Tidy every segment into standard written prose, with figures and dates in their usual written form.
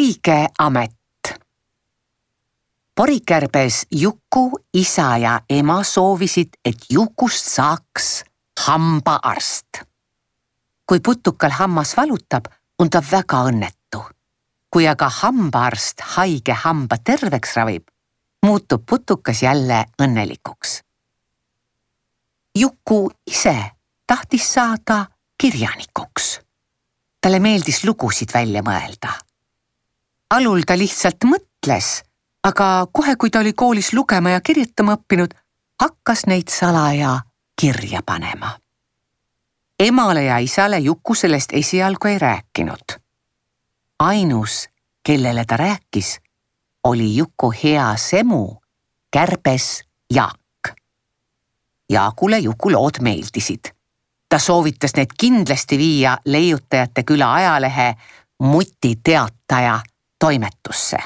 õige amet. Porikärbes Juku isa ja ema soovisid, et Jukust saaks hambaarst. Kui putukal hammas valutab, on ta väga õnnetu. Kui aga hambaarst haige hamba terveks ravib, muutub putukas jälle õnnelikuks. Juku ise tahtis saada kirjanikuks. Talle meeldis lugusid välja mõelda. Alul ta lihtsalt mõtles, aga kohe, kui ta oli koolis lugema ja kirjutama õppinud, hakkas neid salaja kirja panema. Emale ja isale Juku sellest esialgu ei rääkinud. Ainus, kellele ta rääkis, oli Juku hea semu, kärbes Jaak. Jaakule Juku lood meeldisid. Ta soovitas need kindlasti viia Leiutajate küla ajalehe Muti teataja toimetusse.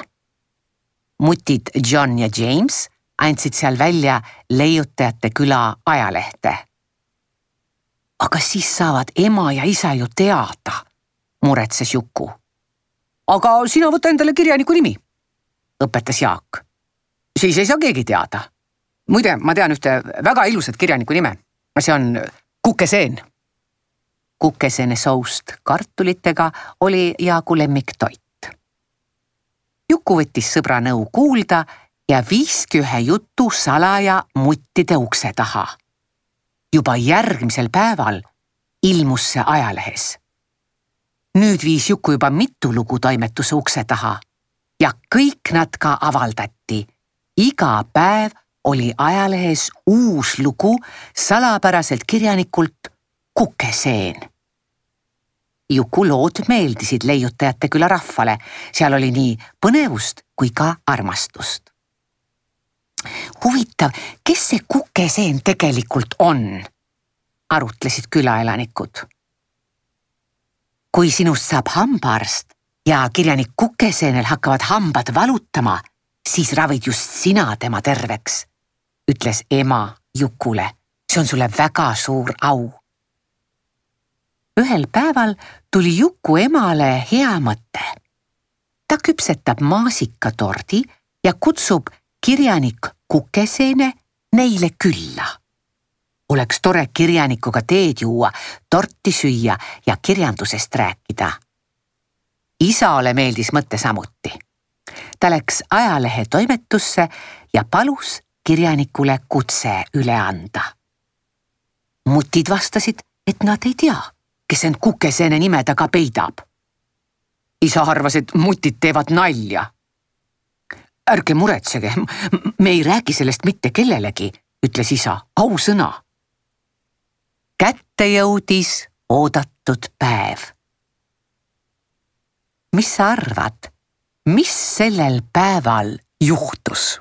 Mutid John ja James andsid seal välja Leiutajate küla ajalehte. Aga siis saavad ema ja isa ju teada, muretses Juku. Aga sina võta endale kirjaniku nimi, õpetas Jaak. Siis ei saa keegi teada. Muide, ma tean ühte väga ilusat kirjaniku nime. See on Kukeseen. Kukeseene soust kartulitega oli Jaagu lemmiktoit. Juku võttis sõbra nõu kuulda ja viiski ühe jutu salaja muttide ukse taha. Juba järgmisel päeval ilmus see ajalehes. Nüüd viis Juku juba mitu lugu toimetuse ukse taha ja kõik nad ka avaldati. Iga päev oli ajalehes uus lugu salapäraselt kirjanikult Kukeseen. Juku lood meeldisid Leiutajate küla rahvale. Seal oli nii põnevust kui ka armastust. Huvitav, kes see Kukeseen tegelikult on? Arutlesid külaelanikud. Kui sinust saab hambaarst ja kirjanik Kukeseenel hakkavad hambad valutama, siis ravid just sina tema terveks, ütles ema Jukule. See on sulle väga suur au. Ühel päeval tuli Juku emale hea mõte. Ta küpsetab maasikatordi ja kutsub kirjanik Kukeseene neile külla. Oleks tore kirjanikuga teed juua, torti süüa ja kirjandusest rääkida. Isale meeldis mõte samuti. Ta läks ajalehe toimetusse ja palus kirjanikule kutse üle anda. Mutid vastasid, et nad ei tea, kes end Kukeseene nime taga peidab. Isa arvas, et mutid teevad nalja. Ärge muretsege, me ei räägi sellest mitte kellelegi, ütles isa, ausõna. Kätte jõudis oodatud päev. Mis sa arvad, mis sellel päeval juhtus?